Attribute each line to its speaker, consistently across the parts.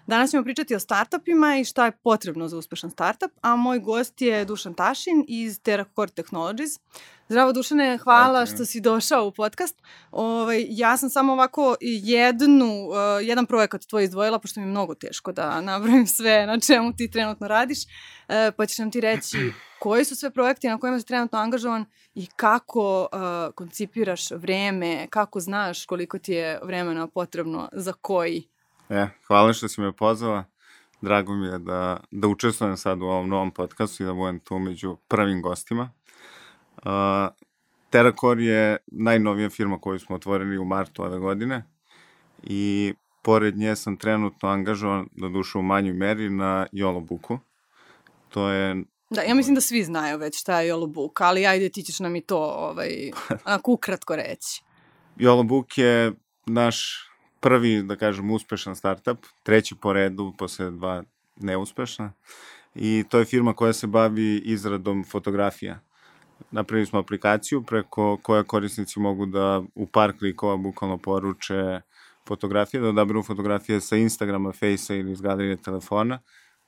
Speaker 1: Danas ćemo pričati o startupima i šta je potrebno za uspešan startup, a moj gost je Dušan Tašin iz TerraCore Technologies. Zdravo Dušane, hvala što si došao u podcast. Ja sam samo ovako jedan projekat tvoj izdvojila, pošto mi je mnogo teško da nabrojim sve na čemu ti trenutno radiš, pa ćeš nam ti reći koji su sve projekti na kojima si trenutno angažovan i kako koncipiraš vreme, kako znaš koliko ti je vremena potrebno za koji.
Speaker 2: Hvala što si me pozvala. Drago mi je da učestvujem sad u ovom novom podcastu i da budem tu među prvim gostima. TerraCore je najnovija firma koju smo otvorili u martu ove godine i pored nje sam trenutno angažovan, doduše u manjoj meri, na YOLO-Booku. To je...
Speaker 1: Da, ja mislim da svi znaju već šta je YOLO-Book, ali ajde ti ćeš nam i to onako ukratko reći.
Speaker 2: YOLO-Book je naš prvi, da kažem, uspešan startup, treći po redu posle 2 neuspešna, i to je firma koja se bavi izradom fotografija. Napravili smo aplikaciju preko koje korisnici mogu da u par klikova bukvalno poruče fotografije, da odaberu fotografije sa Instagrama, Facea ili iz galerije telefona,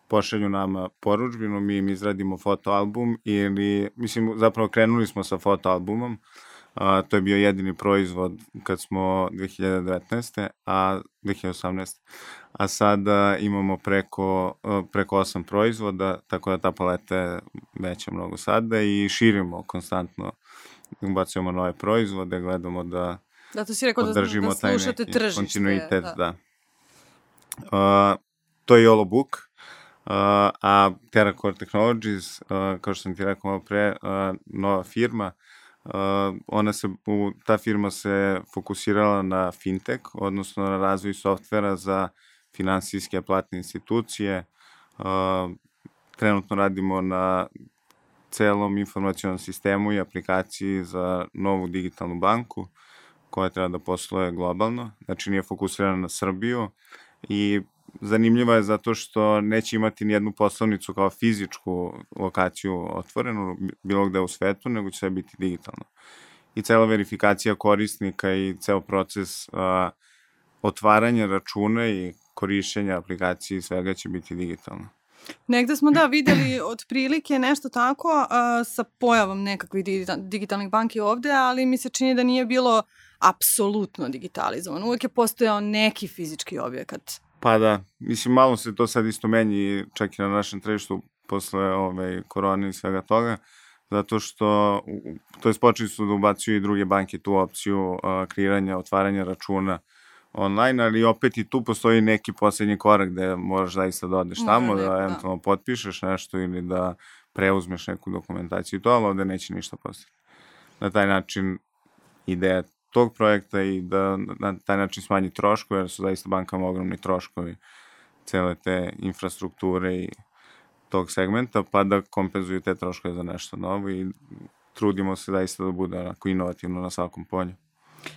Speaker 2: pošalju nama poručbinu, mi im izradimo fotoalbum zapravo krenuli smo sa fotoalbumom. To je bio jedini proizvod kad smo 2018. A sada imamo preko 8 proizvoda, tako da ta paleta je veća mnogo sada i širimo konstantno, ubacujemo nove proizvode, gledamo da
Speaker 1: to si rekao
Speaker 2: održimo
Speaker 1: da slušate tržište,
Speaker 2: kontinuitet. Da. To je YOLO-Book, a TerraCore Technologies, kao što sam ti rekao malo pre, nova firma. Ta firma se fokusirala na fintech, odnosno na razvoj softvera za finansijske platne institucije. Trenutno radimo na celom informacionom sistemu i aplikaciji za novu digitalnu banku koja treba da posluje globalno, znači nije fokusirana na Srbiju i zanimljiva je zato što neće imati nijednu poslovnicu kao fizičku lokaciju otvorenu bilo gde u svetu, nego će sve biti digitalno. I cela verifikacija korisnika i ceo proces otvaranja računa i korišćenja aplikacije i svega će biti digitalno.
Speaker 1: Negde smo videli otprilike nešto tako sa pojavom nekakvih digitalnih banki ovde, ali mi se čini da nije bilo apsolutno digitalizovano. Uvek je postojao neki fizički objekat.
Speaker 2: Pa da, malo se to sad isto menji čak i na našem tržištu posle korone i svega toga, zato što, počeli su da ubacuju i druge banke tu opciju kreiranja, otvaranja računa online, ali opet i tu postoji neki poslednji korak gde moraš zaista da odeš tamo, da eventualno potpišeš nešto ili da preuzmeš neku dokumentaciju i to, ali ovde neće ništa postati. Na taj način ideja tog projekta i da na taj način smanji troškove, jer su zaista bankama ogromni troškovi cele te infrastrukture i tog segmenta, pa da kompenzuju te troškove za nešto novo i trudimo se zaista da bude onako inovativno na svakom polju.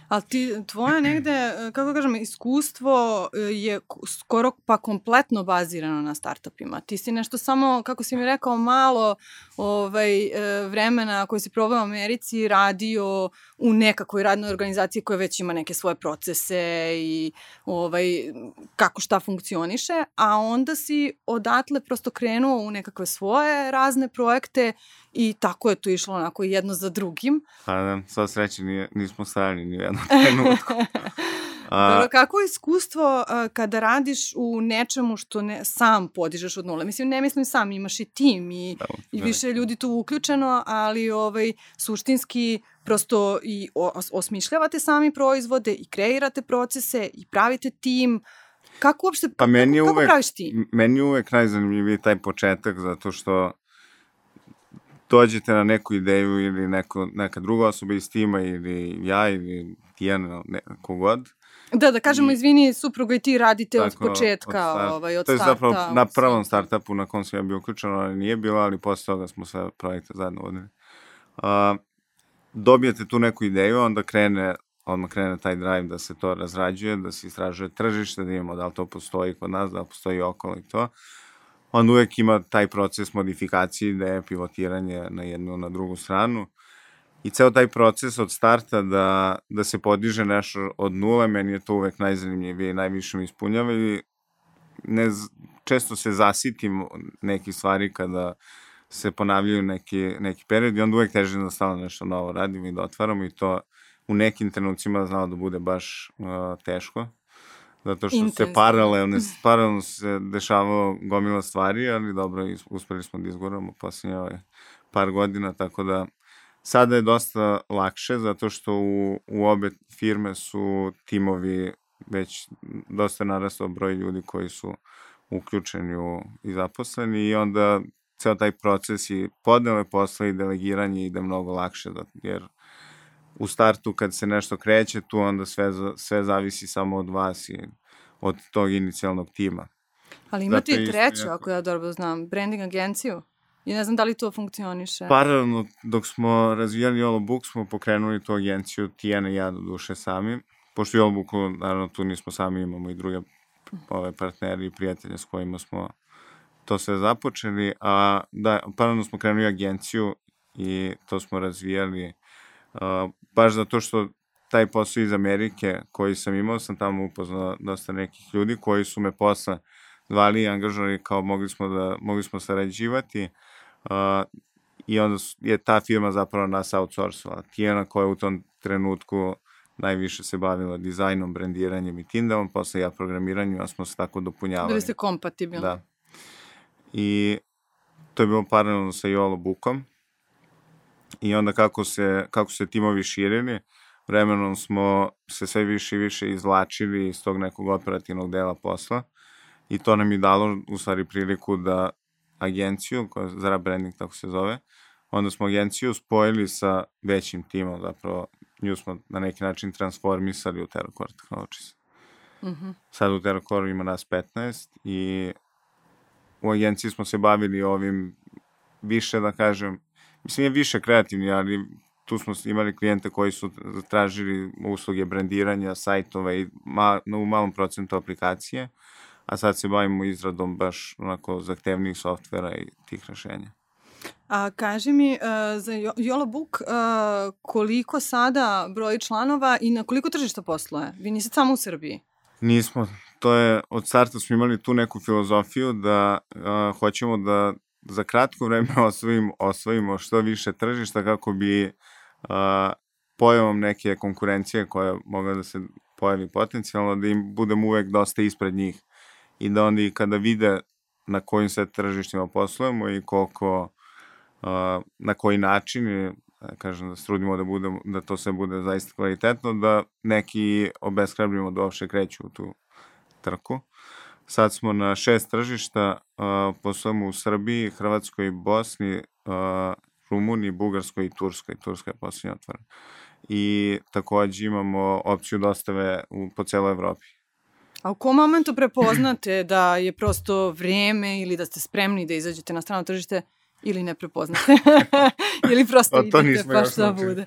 Speaker 1: Ali tvoje negde, kako kažem, iskustvo je skoro pa kompletno bazirano na startupima. Ti si nešto samo, kako si mi rekao, malo vremena koje si probao u Americi radio u nekakvoj radnoj organizaciji koja već ima neke svoje procese i kako šta funkcioniše, a onda si odatle prosto krenuo u nekakve svoje razne projekte i tako je to išlo onako jedno za drugim.
Speaker 2: Pa da, sva sreća nismo stajali ni u jednom trenutku.
Speaker 1: Dobro, kako je iskustvo kada radiš u nečemu što sam podižeš od nule? Mislim, ne mislim sam, imaš i tim i više ljudi tu uključeno, ali suštinski prosto i osmišljavate sami proizvode i kreirate procese i pravite tim. Kako uopšte, kako praviš tim?
Speaker 2: Meni je uvek najzanimljiviji taj početak, zato što dođete na neku ideju ili neka druga osoba iz tima ili ja ili Tijana, kogod.
Speaker 1: Da kažemo, izvini, supruga i ti radite od početka, od starta.
Speaker 2: To je zapravo na prvom startupu na kom sam ja bio uključen, ali nije bilo, ali posle toga smo sve projekte zajedno vodili. Dobijete tu neku ideju, onda odmah krene taj drive da se to razrađuje, da se istražuje tržište, da imamo da li to postoji kod nas, da li postoji okolo i to. Onda uvek ima taj proces modifikacije, ideje, pivotiranje na jednu, na drugu stranu. I ceo taj proces od starta da se podiže nešto od nule, meni je to uvek najzanimljivije i najviše mi ispunjava i često se zasitim nekih stvari kada se ponavljaju neki period i onda uvek težim da stalno nešto novo radimo i da otvaramo i to u nekim trenucima znalo da bude baš teško. Zato što se paralelno se dešavalo gomila stvari, ali dobro, uspeli smo da izguramo posljednje par godina, tako da sada je dosta lakše, zato što u obe firme su timovi već dosta narastao broj ljudi koji su uključeni i zaposleni i onda ceo taj proces i podele posla i delegiranje ide mnogo lakše, jer u startu kad se nešto kreće, tu onda sve zavisi samo od vas i od tog inicijalnog tima.
Speaker 1: Ali imate i treću, ako ja dobro znam, branding agenciju. I ne znam da li to funkcioniše.
Speaker 2: Paralelno, dok smo razvijali Yolo Book, smo pokrenuli tu agenciju, Tijana i ja do duše sami. Pošto Yolo Booku, naravno, tu nismo sami, imamo i druge partneri i prijatelje s kojima smo to sve započeli. A da, paralelno smo krenuli agenciju i to smo razvijali baš zato što taj posao iz Amerike koji sam imao, sam tamo upoznao dosta nekih ljudi koji su me posle zvali i angažovali kao mogli smo sarađivati i onda je ta firma zapravo nas outsourcovala. Tijana koja u tom trenutku najviše se bavila dizajnom, brandiranjem i Tindavom, posle ja programiranjem, a smo se tako dopunjavali.
Speaker 1: Bili ste kompatibilni.
Speaker 2: Da. I to je bilo paralelno sa Yolo Bookom. I onda kako se timovi širili, vremenom smo se sve više i više izvlačili iz tog nekog operativnog dela posla i to nam je dalo u stvari priliku da agenciju, koja je Zara Branding, tako se zove, onda smo agenciju spojili sa većim timom, zapravo nju smo na neki način transformisali u TerraCore Technologies. Sad u TerraCore ima nas 15 i u agenciji smo se bavili ovim više, da kažem, mislim je više kreativni, ali tu smo imali klijente koji su tražili usluge brandiranja, sajtova i u malom procentu aplikacije, a sad se bavimo izradom baš onako zahtevnijih softvera i tih rešenja.
Speaker 1: A kaži mi, za Yolo Book, koliko sada broji članova i na koliko tržišta posluje? Vi niste samo u Srbiji?
Speaker 2: Nismo. To je, od starta smo imali tu neku filozofiju da hoćemo da za kratko vreme osvojimo što više tržišta kako bi pojavom neke konkurencije koja mogla da se pojavi potencijalno, da im budemo uvek dosta ispred njih i da onda i kada vide na kojim sve tržištima poslujemo i koliko, na koji način, da kažem da se trudimo da to sve bude zaista kvalitetno, da neki obeshrabrimo da uopšte kreću u tu trku. Sad smo na 6 tržišta, poslujemo u Srbiji, Hrvatskoj, Bosni, Rumuniji, Bugarskoj i Turskoj. Turska je posljednja otvorena. I takođe imamo opciju dostave po celoj Evropi.
Speaker 1: A u kom momentu prepoznate da je prosto vreme ili da ste spremni da izađete na strano tržište ili ne prepoznate? Ili prosto idete pa šta bude?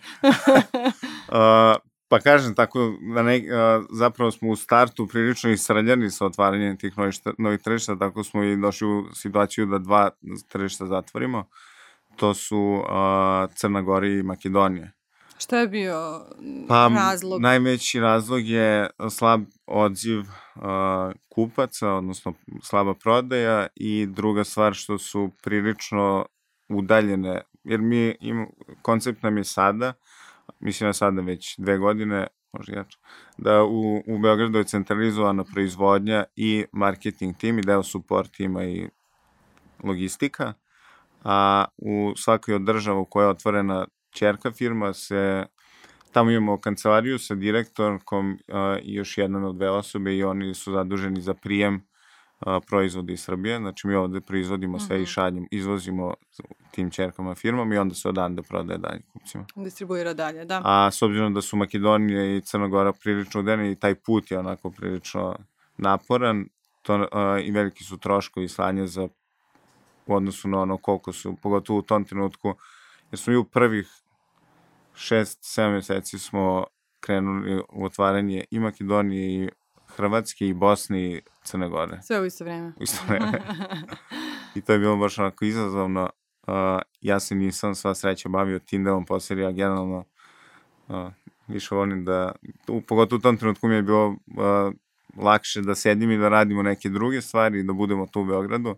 Speaker 2: Pa kažem, tako zapravo smo u startu prilično isrljani sa otvaranjem tih novih tržišta, tako smo i došli u situaciju da 2 tržišta zatvorimo. To su Crna Gora i Makedonija.
Speaker 1: Šta je bio razlog?
Speaker 2: Najveći razlog je slab odziv kupaca, odnosno slaba prodaja i druga stvar što su prilično udaljene, jer koncept nam je sada, mislim da sada već 2 godine, možda jače, da u Beogradu je centralizovana proizvodnja i marketing tim i deo support tima i logistika, a u svakoj od država u kojoj je otvorena ćerka firma tamo imamo kancelariju sa direktorkom i još jednom od 2 osobe i oni su zaduženi za prijem proizvoda iz Srbije. Znači mi ovde proizvodimo sve i izvozimo tim ćerkama firmama i onda se odande prodaje dalje kupcima.
Speaker 1: Distribuira dalje, da.
Speaker 2: A s obzirom da su Makedonija i Crna Gora prilično udeni i taj put je onako prilično naporan i veliki su troškovi slanja u odnosu na ono koliko su, pogotovo u tom trenutku, jer smo i u prvih 6-7 meseci smo krenuli u otvaranje i Makedonije i Hrvatske i Bosne i Crne Gore.
Speaker 1: Sve u isto vreme.
Speaker 2: U isto vreme. I to je bilo baš onako izazovno. Ja se nisam sva sreća bavio Tindavom posle, ja generalno više volim da, pogotovo u tom trenutku mi je bilo lakše da sedim i da radimo neke druge stvari i da budemo tu u Beogradu.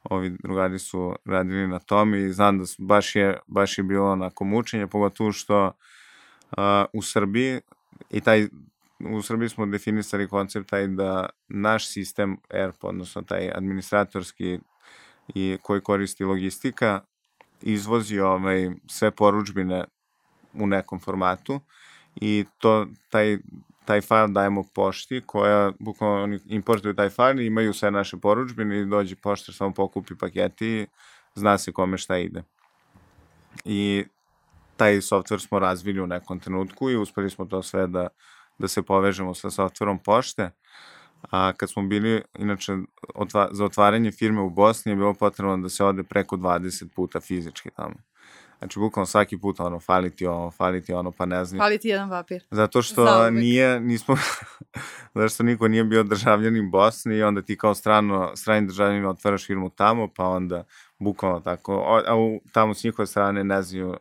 Speaker 2: Ovi drugari su radili na tome i znam da baš je bilo onako mučenje, pogotovo što u Srbiji u Srbiji smo definisali koncept taj da naš sistem ERP, odnosno taj administratorski i koji koristi logistika, izvozi sve poručbine u nekom formatu i taj fajl dajemo pošti koja, bukvalno oni importuju taj fajl i imaju sve naše poručbine i dođe poštar, samo pokupi paketi i zna se kome šta ide. I taj softver smo razvili u nekom trenutku i uspeli smo to sve da se povežemo sa softverom pošte. A kad smo bili, inače, za otvaranje firme u Bosni je bilo potrebno da se ode preko 20 puta fizički tamo. Znači, bukvalno svaki put, fali ti ono, pa ne znam.
Speaker 1: Fali ti jedan papir.
Speaker 2: Zato što zato što niko nije bio državljanin Bosni i onda ti kao strani državljanin otvaraš firmu tamo, pa onda bukvalno tako, tamo s njihove strane ne znaju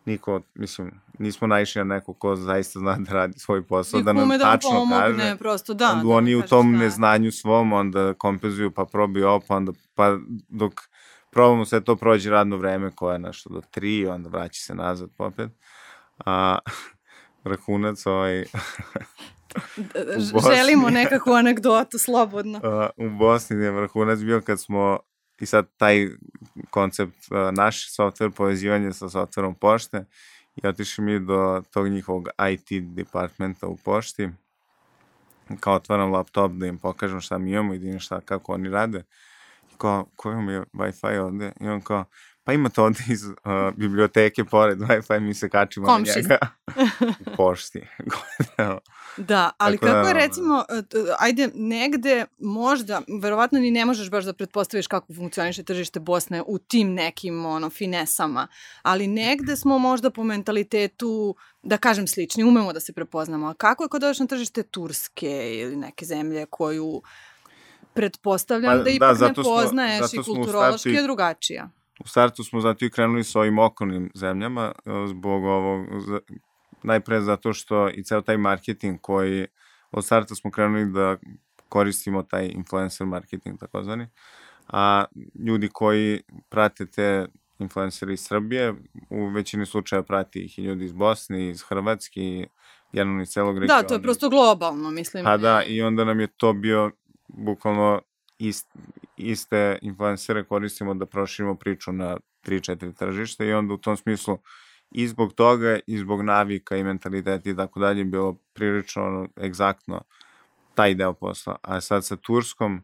Speaker 2: niko, mislim, nismo naišli na neko ko zaista zna da radi svoj posao, da nam tačno kaže.
Speaker 1: Prosto, da.
Speaker 2: Onda oni u tom neznanju svom, onda kompenzuju, pa probiju ovo, pa dok probamo sve to prođe radno vreme koje je nešto do 3, onda vraća se nazad popet. Vrhunac
Speaker 1: Želimo nekakvu anegdotu, slobodno.
Speaker 2: U Bosni je vrhunac bio kad smo, i sad taj koncept, naš softver, povezivanje sa softverom pošte, i otišli mi do tog njihovog IT departmenta u pošti, kao otvaram laptop da im pokažem šta mi imamo i da im kako oni rade. I kao, koji vam je Wi-Fi ovde? I on kao, pa imate ovde iz biblioteke pored Wi-Fi, mi se kačimo na njega u pošti.
Speaker 1: Da, ali kako je recimo, ajde negde možda, verovatno ni ne možeš baš da pretpostaviš kako funkcioniše tržište Bosne u tim nekim finesama, ali negde smo možda po mentalitetu, da kažem slični, umemo da se prepoznamo. A kako je kod dođeš na tržište Turske ili neke zemlje koju pretpostavljam da ipak ne poznaješ i kulturološki je drugačija?
Speaker 2: U startu smo zato i krenuli sa ovim okolnim zemljama, zbog ovog, najpre zato što i ceo taj marketing koji, od starta smo krenuli da koristimo taj influencer marketing takozvani, a ljudi koji prate te influencere iz Srbije, u većini slučaja prati ih i ljudi iz Bosne, iz Hrvatske i generalno iz celog regiona.
Speaker 1: Da, to je prosto globalno, mislim.
Speaker 2: Pa da, i onda nam je to bio bukvalno iste influencere koristimo da proširimo priču na 3-4 tržišta i onda u tom smislu i zbog toga i zbog navika i mentaliteta i tako dalje bilo prilično egzaktno taj deo posla. A sad sa Turskom,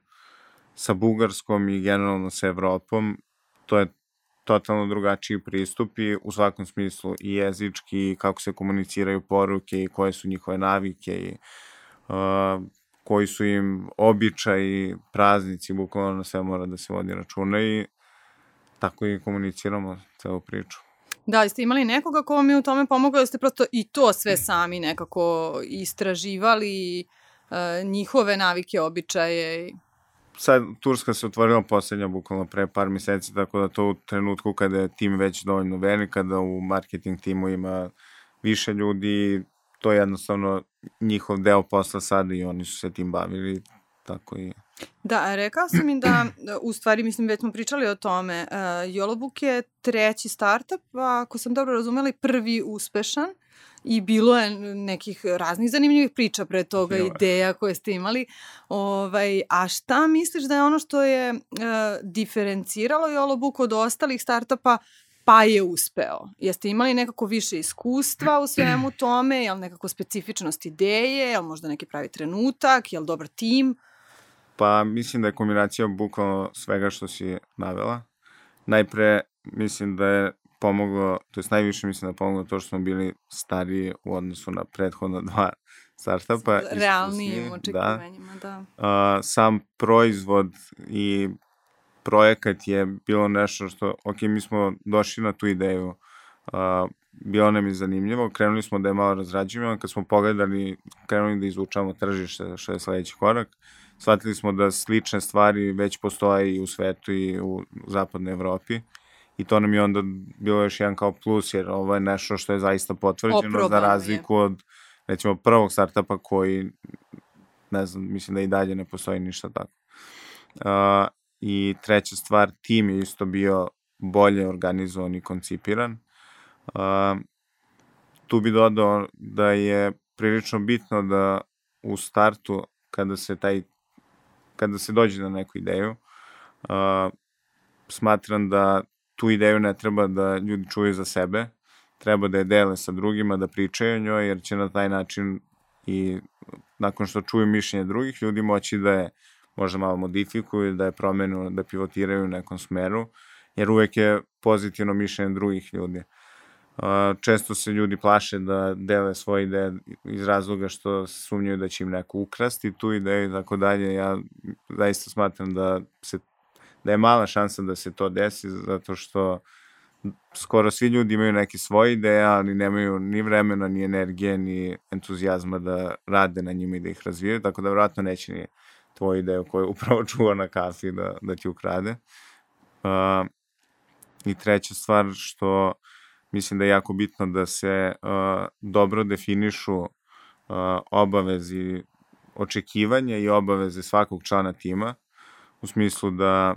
Speaker 2: sa Bugarskom i generalno sa Evropom, to je totalno drugačiji pristup i u svakom smislu i jezički i kako se komuniciraju poruke i koje su njihove navike i koji su im običaji, praznici, bukvalno na sve mora da se vodi računa i tako i komuniciramo celu priču.
Speaker 1: Da, jeste imali nekoga ko vam je u tome pomogao, da ste prosto i to sve sami nekako istraživali, njihove navike, običaje?
Speaker 2: Sad, Turska se otvorila poslednja bukvalno pre par meseci, tako da to u trenutku kada je tim već dovoljno velik, kada u marketing timu ima više ljudi, to je jednostavno njihov deo posla sada i oni su se tim bavili, tako i...
Speaker 1: Da, rekao sam mi da, u stvari, mislim, već smo pričali o tome, Yellowbook je 3. startup, ako sam dobro razumeli, prvi uspešan i bilo je nekih raznih zanimljivih priča pre toga, ideja koje ste imali. A šta misliš da je ono što je diferenciralo Yellowbook od ostalih startupa, pa je uspeo? Jeste imali nekako više iskustva u svemu tome? Je li nekako specifičnost ideje? Je li možda neki pravi trenutak? Je li dobar tim?
Speaker 2: Pa mislim da je kombinacija bukvalno svega što si navela. Najpre mislim da je pomoglo, to je najviše mislim da je pomoglo to što smo bili stariji u odnosu na prethodna 2 startupa.
Speaker 1: Realnijim očekivanjima, da.
Speaker 2: Sam proizvod i projekat je bilo nešto što, mi smo došli na tu ideju, bilo nam je zanimljivo, krenuli smo da je malo razrađivamo, kad smo pogledali, krenuli da izučavamo tržište, što je sledeći korak, shvatili smo da slične stvari već postoje i u svetu i u zapadnoj Evropi i to nam je onda bilo još jedan kao plus, jer ovo je nešto što je zaista potvrđeno za razliku od, recimo, prvog startupa koji ne znam, mislim da i dalje ne postoji ništa tako. I treća stvar, tim je isto bio bolje organizovan i koncipiran. Tu bi dodao da je prilično bitno da u startu, kada se dođe na neku ideju, smatram da tu ideju ne treba da ljudi čuju za sebe, treba da je dele sa drugima, da pričaju o njoj, jer će na taj način i nakon što čuju mišljenje drugih ljudi moći da je možda malo modifikuju, da je promenu, da pivotiraju u nekom smeru, jer uvek je pozitivno mišljenje drugih ljudi. Često se ljudi plaše da dele svoje ideje iz razloga što sumnjaju da će im neko ukrasti tu ideju i tako dalje. Ja zaista smatram da je mala šansa da se to desi, zato što skoro svi ljudi imaju neke svoje ideje, ali nemaju ni vremena, ni energije, ni entuzijazma da rade na njima i da ih razvijaju, tako da vjerojatno neće ni tvoju ideju koju upravo čuva na kafi da ti ukrade. I treća stvar što mislim da je jako bitno da se dobro definišu obavezi, očekivanja i obaveze svakog člana tima, u smislu da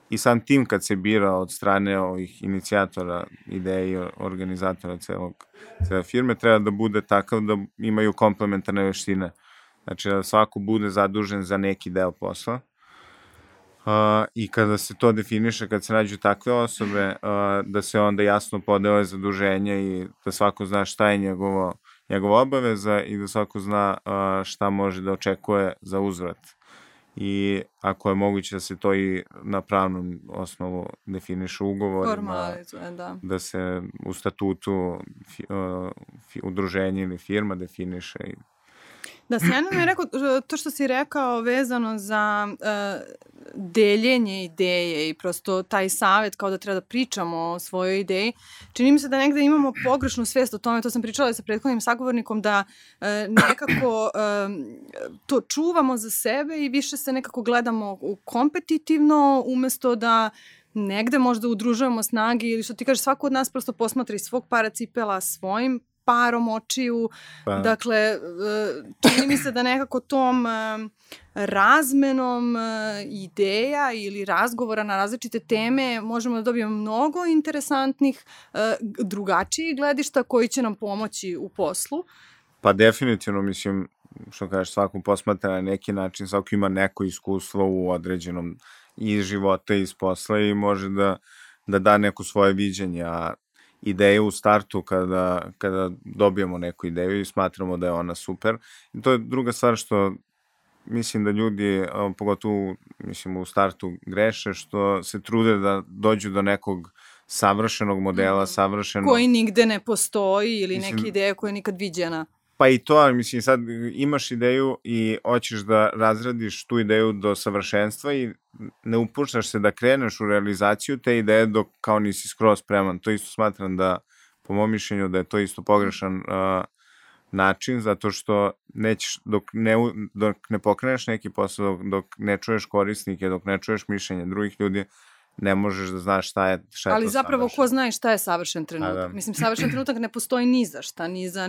Speaker 2: i sam tim kad se bira od strane ovih inicijatora ideje i organizatora cele firme treba da bude takav da imaju komplementarne veštine. Znači da svako bude zadužen za neki deo posla. I kada se to definiše, kad se nađu takve osobe, da se onda jasno podele zaduženje i da svako zna šta je njegova obaveza i da svako zna šta može da očekuje za uzvrat. I ako je moguće da se to i na pravnom osnovu definiše ugovorima, da se u statutu udruženje ili firma definiše.
Speaker 1: Da, sjajno mi je rekao to što si rekao vezano za deljenje ideje i prosto taj savjet kao da treba da pričamo o svojoj ideji. Čini mi se da negde imamo pogrešnu svest o tome, to sam pričala sa prethodnim sagovornikom, da nekako to čuvamo za sebe i više se nekako gledamo kompetitivno umesto da negde možda udružujemo snage ili što ti kažeš, svako od nas prosto posmatra iz svog para cipela svojim parom očiju. Dakle, čini mi se da nekako tom razmenom ideja ili razgovora na različite teme možemo da dobijemo mnogo interesantnih, drugačijih gledišta koji će nam pomoći u poslu.
Speaker 2: Pa definitivno, mislim, što kažeš, svako posmatra na neki način, svako ima neko iskustvo u određenom iz života i iz posla i može da da neko svoje viđenje, a ideje u startu kada dobijemo neku ideju i smatramo da je ona super. I to je druga stvar što mislim da ljudi, pogotovo mislim u startu greše, što se trude da dođu do nekog savršenog modela, savršenog...
Speaker 1: Koji nigde ne postoji ili neke ideje koja je nikad viđena.
Speaker 2: Pa i to, ali mislim sad imaš ideju i hoćeš da razradiš tu ideju do savršenstva i ne upuštaš se da kreneš u realizaciju te ideje dok kao nisi skroz spreman. To isto smatram da, po mom mišljenju, da je to isto pogrešan način, zato što nećeš, dok ne pokreneš neki posao, dok ne čuješ korisnike, dok ne čuješ mišljenje drugih ljudi, ne možeš da znaš šta je to
Speaker 1: ali zapravo ko zna šta je savršen trenutak. Mislim, savršen trenutak ne postoji ni za šta, ni za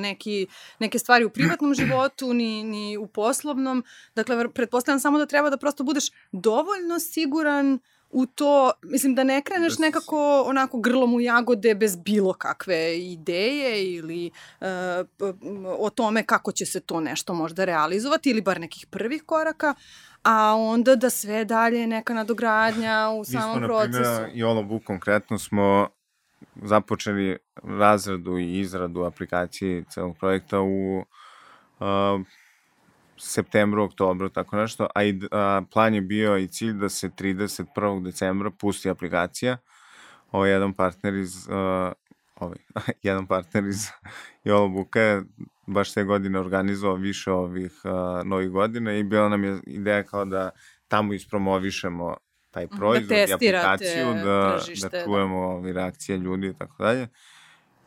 Speaker 1: neke stvari u privatnom životu, ni u poslovnom. Dakle, pretpostavljam samo da treba da prosto budeš dovoljno siguran u to, mislim, da ne kreneš nekako onako grlom u jagode bez bilo kakve ideje ili o tome kako će se to nešto možda realizovati ili bar nekih prvih koraka, a onda da sve dalje neka nadogradnja u samom procesu.
Speaker 2: Mi smo, na primjer, i Olobu konkretno smo započeli razradu i izradu aplikacije celog projekta u septembru, oktobru, tako nešto, a plan je bio i cilj da se 31. decembra pusti aplikacija. Jedan partner iz Jolobuka je baš te godine organizovao više ovih novih godina i bila nam je ideja kao da tamo ispromovišemo taj proizvod i aplikaciju, da čujemo reakcije ljudi i tako dalje.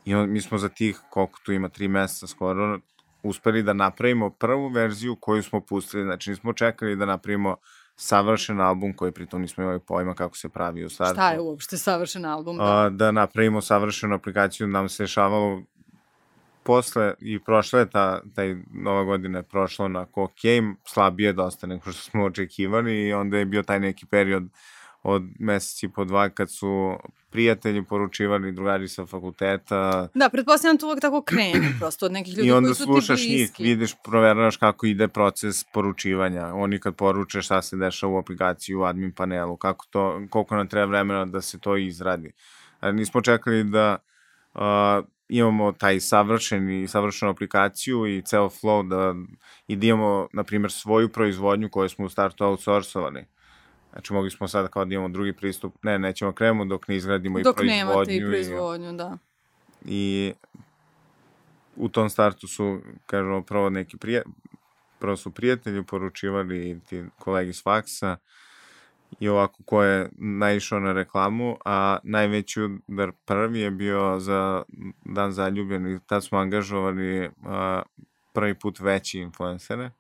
Speaker 2: I mi smo za tih, koliko tu ima, 3 meseca skoro, uspeli da napravimo prvu verziju koju smo pustili. Znači, nismo čekali da napravimo savršen album koji pritom nismo imali pojma kako se pravi u startu.
Speaker 1: Šta je uopšte savršen album?
Speaker 2: Da napravimo savršenu aplikaciju nam se dešavalo posle i prošla je taj nova godina je prošla onako slabije dosta nego što smo očekivali i onda je bio taj neki period od meseci po 2 kad su prijatelji poručivali, drugari sa fakulteta.
Speaker 1: Da, pretpostavljam to uvek tako krene, prosto od nekih ljudi koji su ti bliski.
Speaker 2: I onda slušaš njih, vidiš, proveravaš kako ide proces poručivanja. Oni kad poruče šta se dešava u aplikaciji, u admin panelu, koliko nam treba vremena da se to izradi. Ali nismo čekali da imamo taj savršenu aplikaciju i ceo flow i da imamo, na primjer, svoju proizvodnju koju smo u startu outsourcovali. Znači, mogli smo sada kao da imamo drugi pristup. Nećemo krenemo dok ne izgradimo i proizvodnju.
Speaker 1: Dok nemate i proizvodnju, da.
Speaker 2: I u tom startu su, kažemo, prvo su prijatelji poručivali ti kolegi s faksa i ovako ko je naišao na reklamu, a najveći udar prvi je bio za Dan zaljubljenih. Tad smo angažovali prvi put veći influencere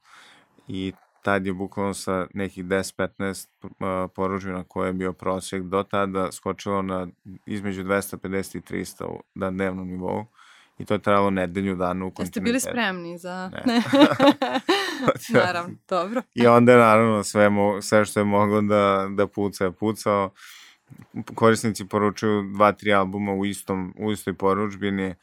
Speaker 2: i tad je bukvalno sa nekih 10-15 poručbina koje je bio prosjek do tada skočilo na između 250 i 300 na dnevnom nivou i to je trajalo nedelju dana u kontinuitetu.
Speaker 1: Jeste bili spremni za... Naravno, dobro.
Speaker 2: I onda je naravno sve što je moglo da pucao. Korisnici poručuju 2-3 albuma u istoj poručbini.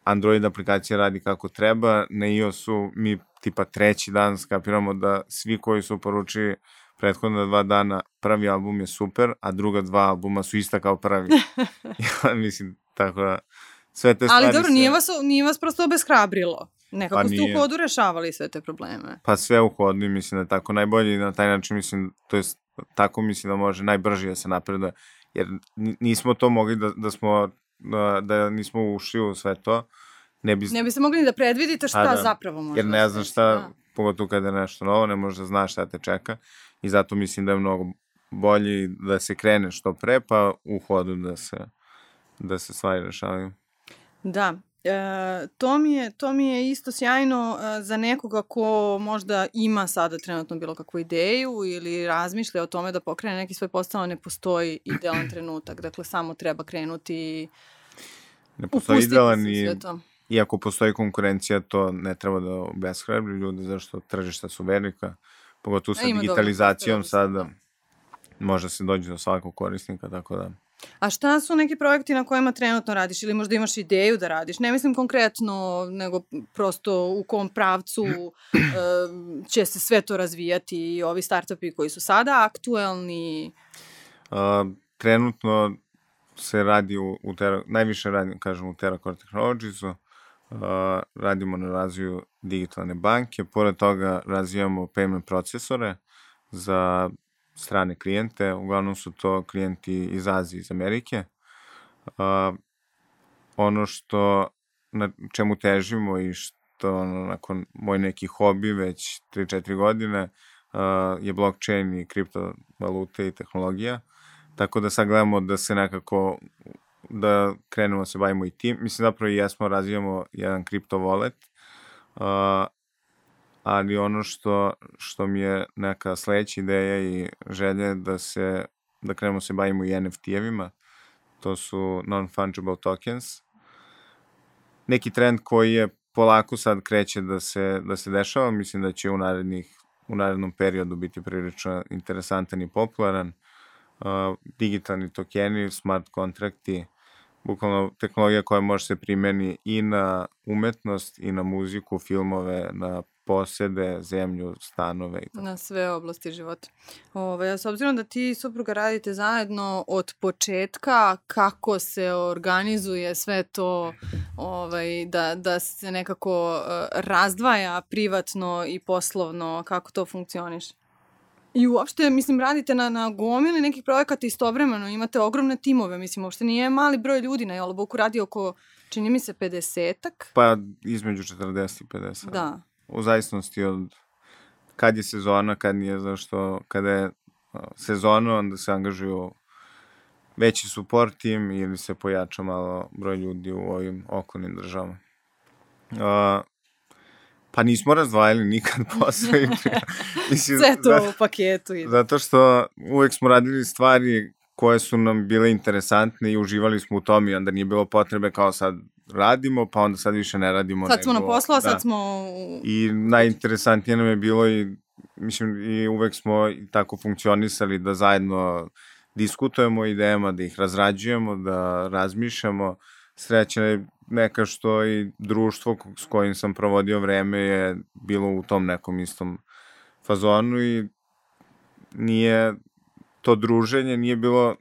Speaker 2: Android aplikacija radi kako treba, na iOS-u mi tipa 3. dan skapiramo da svi koji su poručili prethodna 2 dana prvi album je super, a druga 2 albuma su ista kao prvi. Ja mislim, tako da sve te stvari...
Speaker 1: Ali dobro, nije vas prosto obeshrabrilo. Nekako ste u hodu rešavali sve te probleme.
Speaker 2: Pa sve u hodu i mislim da je tako najbolje i na taj način mislim, to je tako mislim da može najbrže da se napreduje, jer nismo to mogli da nismo ušli u sve to. Ne
Speaker 1: biste mogli ni da predvidite šta zapravo može.
Speaker 2: Jer ne znaš šta, pogotovo kada je nešto novo, ne možeš da znaš šta te čeka i zato mislim da je mnogo bolje da se krene što pre, pa u hodu da se stvari rešavaju.
Speaker 1: Da, to mi je isto sjajno za nekoga ko možda ima sada trenutno bilo kakvu ideju ili razmišlja o tome da pokrene neki svoj posao, ne postoji idealan trenutak, dakle samo treba krenuti
Speaker 2: ne postoji idealan i iako postoji konkurencija, to ne treba da obeshrabri ljude, zašto tržišta su velika, pogotovo sa digitalizacijom sada može se doći do svakog korisnika, tako da...
Speaker 1: A šta su neki projekti na kojima trenutno radiš ili možda imaš ideju da radiš? Ne mislim konkretno, nego prosto u kom pravcu će se sve to razvijati i ovi startupi koji su sada aktuelni?
Speaker 2: Trenutno se radi najviše radim, kažem, u TerraCore Technologiesu. Radimo na razvoju digitalne banke, pored toga razvijamo payment procesore za strane klijente, uglavnom su to klijenti iz Azije, iz Amerike. Ono na čemu težimo i što nakon moj neki hobi već 3-4 godine je blockchain i kriptovalute i tehnologija, tako da sad gledamo da se nekako da krenemo se bavimo i tim. Mislim, zapravo i jesmo, razvijamo jedan kripto wallet, ali ono što mi je neka sledeća ideja i želja je da krenemo se bavimo i NFT-evima. To su non-fungible tokens. Neki trend koji je polako sad kreće da se dešava, mislim da će u narednom periodu biti prilično interesantan i popularan. Digitalni tokeni, smart kontrakti, bukvalno tehnologija koja može se primeni i na umetnost, i na muziku, filmove, na posede, zemlju, stanove i tako.
Speaker 1: Na sve oblasti života. S obzirom da ti i supruga radite zajedno od početka, kako se organizuje sve to da se nekako razdvaja privatno i poslovno, kako to funkcioniše? I uopšte, mislim, radite na gomili nekih projekata istovremeno, imate ogromne timove, mislim, uopšte nije mali broj ljudi na Joloboku, radi oko, čini mi se, 50-ak.
Speaker 2: Pa, između 40 i 50.
Speaker 1: Da.
Speaker 2: U zavisnosti od kad je sezona, kad nije, zašto, kada je sezona, onda se angažuju veći support tim ili se pojača malo broj ljudi u ovim okolnim državama. Pa nismo razdvajali nikad posao.
Speaker 1: Sve to u paketu ide.
Speaker 2: Zato što uvek smo radili stvari koje su nam bile interesantne i uživali smo u tom i onda nije bilo potrebe kao sad radimo, pa onda sad više ne radimo.
Speaker 1: Sad smo na poslu, a sad smo...
Speaker 2: I najinteresantnije nam je bilo i uvek smo tako funkcionisali da zajedno diskutujemo o idejama, da ih razrađujemo, da razmišljamo. Sreća je neka što i društvo s kojim sam provodio vreme je bilo u tom nekom istom fazonu i nije to druženje, nije bilo,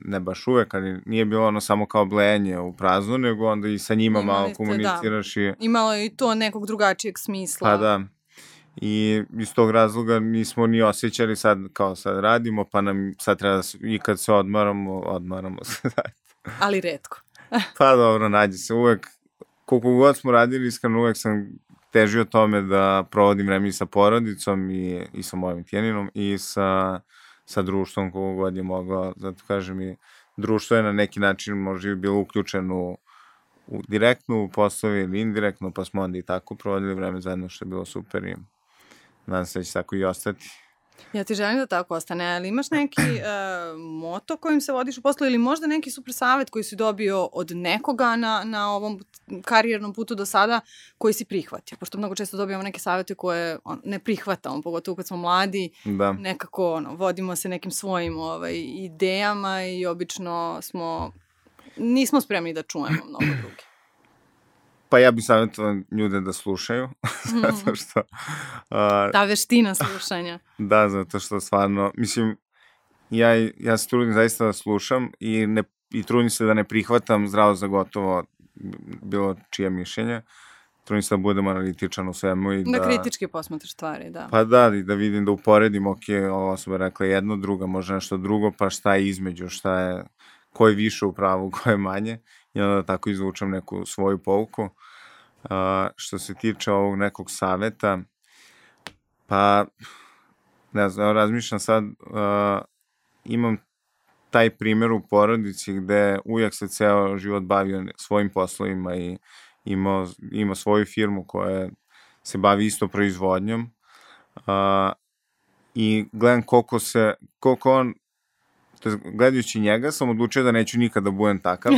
Speaker 2: ne baš uvek, ali nije bilo ono samo kao blejanje u praznu, nego onda i sa njima malo komuniciraš.
Speaker 1: Da. Imalo je i to nekog drugačijeg smisla.
Speaker 2: Pa da. I iz tog razloga nismo ni osjećali sad radimo, pa nam sad treba i kad se odmaramo se.
Speaker 1: Ali retko.
Speaker 2: Pa dobro, nađe se uvek, koliko god smo radili, iskreno uvek sam težio tome da provodim vreme i sa porodicom i sa mojim tjeninom i sa društvom koliko god je mogao. Zato kažem i društvo je na neki način možda bilo uključeno direktno u poslovi ili indirektno, pa smo onda i tako provodili vreme zajedno, što je bilo super i nadam se da će tako i ostati.
Speaker 1: Ja ti želim da tako ostane, ali imaš neki moto kojim se vodiš u poslu ili možda neki super savjet koji si dobio od nekoga na ovom karijernom putu do sada koji si prihvatio? Pošto mnogo često dobijamo neke savjete koje ne prihvatamo, pogotovo kad smo mladi, nekako vodimo se nekim svojim idejama i obično nismo spremni da čujemo mnogo drugi.
Speaker 2: Pa ja bih savjetovao ljude da slušaju, zato što...
Speaker 1: Ta veština slušanja.
Speaker 2: Da, zato što stvarno, mislim, ja se trudim zaista da slušam i trudim se da ne prihvatam zdravo za gotovo bilo čije mišljenje. Trudim se da budem analitičan u svemu i
Speaker 1: da kritički posmatraš stvari, da.
Speaker 2: Pa da, i da vidim, da uporedim, ova osoba rekla jedno, druga može nešto drugo, pa šta je između, ko je više u pravu, ko je manje. I onda tako izvučem neku svoju pouku. Što se tiče ovog nekog saveta, pa ne znam, razmišljam sad, imam taj primjer u porodici gde uvijek se ceo život bavio svojim poslovima i ima svoju firmu koja se bavi isto proizvodnjom i gledam koliko on, gledajući njega sam odlučio da neću nikada budem takav.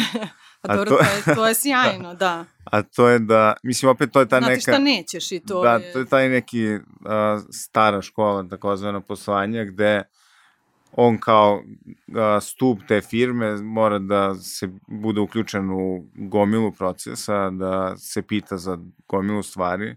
Speaker 1: To je sjajno, da.
Speaker 2: A to je da, mislim, opet to je ta neka...
Speaker 1: Znate šta nećeš i to
Speaker 2: je... Da, to je taj neki stara škola, takozvana poslovanja, gde on kao stup te firme mora da se bude uključen u gomilu procesa, da se pita za gomilu stvari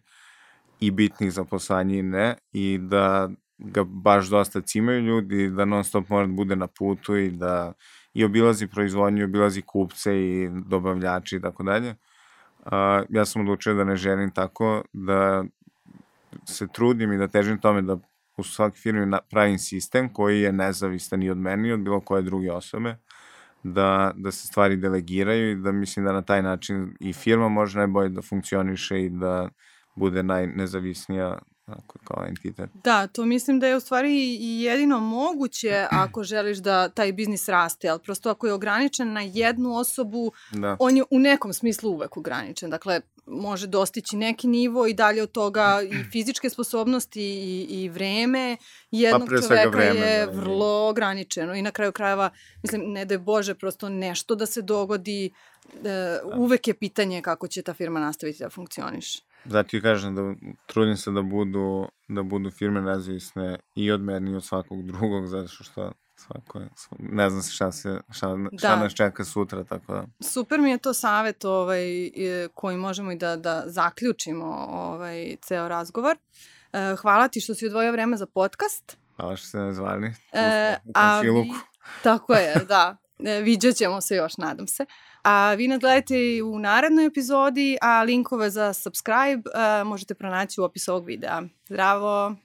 Speaker 2: i bitnih za poslovanje i ne, i da ga baš dosta cimaju ljudi, da non stop mora da bude na putu i da i obilazi proizvodnju, obilazi kupce i dobavljači i tako dalje. Ja sam odlučio da ne želim tako, da se trudim i da težim tome da u svakoj firmi pravim sistem koji je nezavistan i od meni i od bilo koje druge osobe, da se stvari delegiraju i da mislim da na taj način i firma može najbolje da funkcioniše i da bude najnezavisnija kao entitet.
Speaker 1: Da, to mislim da je u stvari i jedino moguće ako želiš da taj biznis raste, ali prosto ako je ograničen na jednu osobu, on je u nekom smislu uvek ograničen. Dakle, može dostići neki nivo i dalje od toga i fizičke sposobnosti i vreme jednog čoveka je vrlo ograničeno. I na kraju krajeva, mislim, ne daj Bože, prosto nešto da se dogodi, uvek je pitanje kako će ta firma nastaviti da funkcioniše.
Speaker 2: Zato i kažem da trudim se da budu firme nezavisne i od mene i od svakog drugog, zato što svako je, ne znam šta nas čeka sutra, tako da.
Speaker 1: Super mi je to savjet koji možemo i da zaključimo ceo razgovor. Hvala ti što si odvojio vreme za podcast.
Speaker 2: Hvala što ste me zvali u komšiluku.
Speaker 1: Tako je, da. Viđat ćemo se još, nadam se. A vi nas gledajte u narednoj epizodi, a linkove za subscribe možete pronaći u opisu ovog videa. Zdravo!